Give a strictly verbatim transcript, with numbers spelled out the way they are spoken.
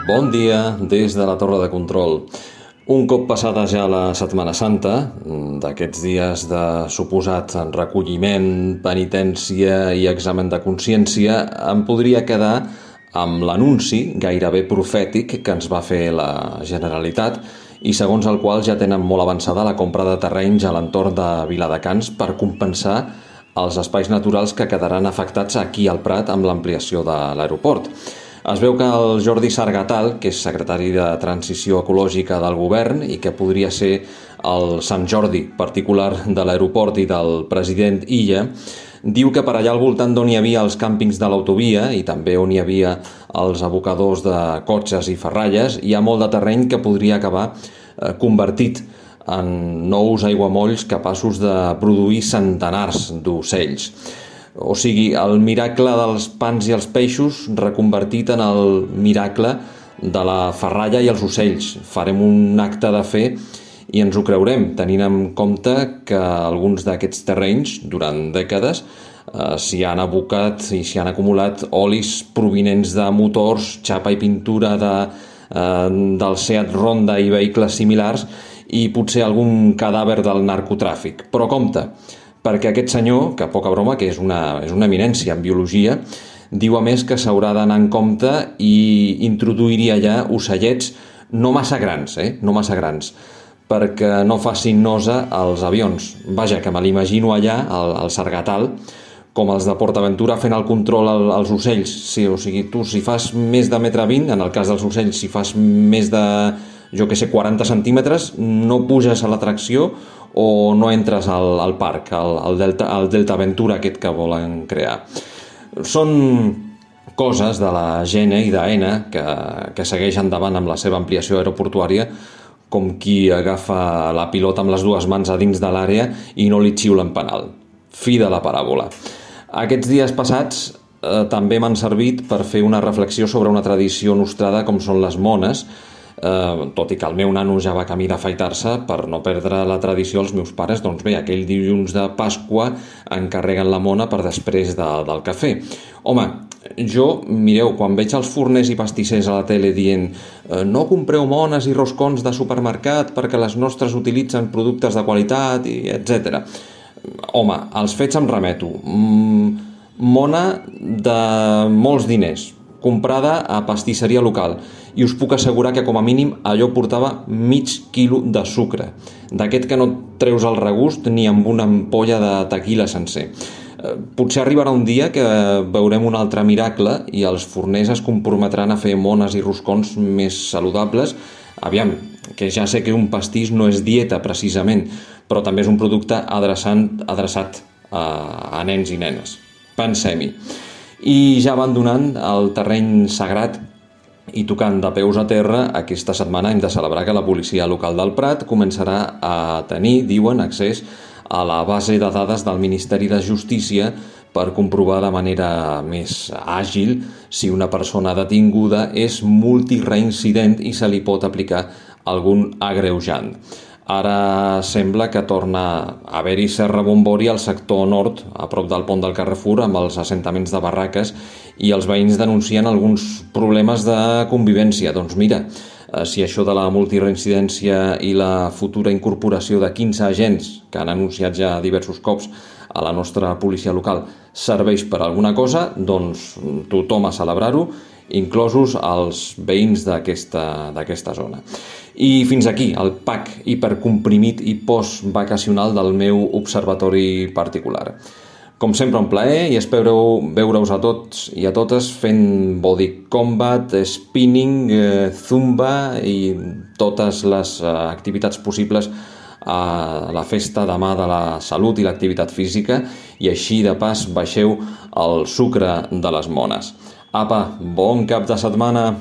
Bon dia des de la Torre de Control. Un cop passada ja la Setmana Santa, d'aquests dies de suposat recolliment, penitència i examen de consciència, em podria quedar amb l'anunci gairebé profètic que ens va fer la Generalitat i segons el qual ja tenen molt avançada la compra de terrenys a l'entorn de Viladecans per compensar els espais naturals que quedaran afectats aquí al Prat amb l'ampliació de l'aeroport. Es veu que el Jordi Sargatal, que és secretari de Transició Ecològica del govern i que podria ser el Sant Jordi particular de l'aeroport i del president Illa, diu que per allà al voltant d'on hi havia els càmpings de l'autovia i també on hi havia els abocadors de cotxes i ferralles, hi ha molt de terreny que podria acabar eh, convertit en nous aiguamolls capaços de produir centenars d'ocells. O sigui, el miracle dels pans i els peixos reconvertit en el miracle de la ferralla i els ocells. Farem un acte de fe i ens ho creurem, tenint en compte que alguns d'aquests terrenys, durant dècades, eh, s'hi han abocat i s'hi han acumulat olis provinents de motors, xapa i pintura de, eh, del Seat Ronda i vehicles similars i potser algun cadàver del narcotràfic. Però compte, perquè aquest senyor, que poca broma, que és una, és una eminència en biologia, diu a més que s'haurà d'anar en compte i introduiria allà ocellets no massa grans, eh? no massa grans, perquè no facin nosa als avions. Vaja, que me l'imagino allà, al, al Sargatal, com els de PortAventura fent el control al, als ocells. Sí, o sigui, tu si fas més de metre vint, en el cas dels ocells, si fas més de, jo que sé, quaranta centímetres, no puges a l'atracció o no entres al, al parc, al, al, Delta, al Delta Aventura aquest que volen crear. Són coses de la Gene i d'Aena que, que segueix endavant amb la seva ampliació aeroportuària com qui agafa la pilota amb les dues mans a dins de l'àrea i no li xiulen penal. Fi de la paràbola. Aquests dies passats eh, també m'han servit per fer una reflexió sobre una tradició nostrada com són les mones, Eh, tot i que el meu nano ja va camí d'afaitar-se per no perdre la tradició els meus pares, doncs bé, aquell dilluns de Pasqua encarreguen la mona per després de, del cafè. Home, jo, mireu, quan veig els forners i pastissers a la tele dient eh, no compreu mones i roscons de supermercat perquè les nostres utilitzen productes de qualitat, i etcètera. Home, als fets em remeto. Mm, mona de molts diners, comprada a pastisseria local, i us puc assegurar que com a mínim allò portava mig quilo de sucre, d'aquest que no treus el regust ni amb una ampolla de tequila sencer. Eh, potser arribarà un dia que veurem un altre miracle i els forners es comprometran a fer mones i roscons més saludables. Aviam, que ja sé que un pastís no és dieta precisament, però també és un producte adreçant, adreçat a, a nens i nenes. Pensem-hi. I ja abandonant el terreny sagrat i tocant de peus a terra, aquesta setmana hem de celebrar que la policia local del Prat començarà a tenir, diuen, accés a la base de dades del Ministeri de Justícia per comprovar de manera més àgil si una persona detinguda és multireincident i se li pot aplicar algun agreujant. Ara sembla que torna a haver-hi cert rebombori al sector nord, a prop del pont del Carrefour, amb els assentaments de barraques, i els veïns denuncien alguns problemes de convivència. Doncs mira, si això de la multireincidència i la futura incorporació de quinze agents que han anunciat ja diversos cops a la nostra policia local serveix per alguna cosa, doncs tothom a celebrar-ho, inclosos els veïns d'aquesta d'aquesta zona. I fins aquí el pack hipercomprimit i postvacacional del meu observatori particular. Com sempre, un plaer i espero veure-us a tots i a totes fent body combat, spinning, eh, zumba i totes les eh, activitats possibles a la festa demà de la salut i l'activitat física i així de pas baixeu el sucre de les mones. Apa, bon cap de setmana!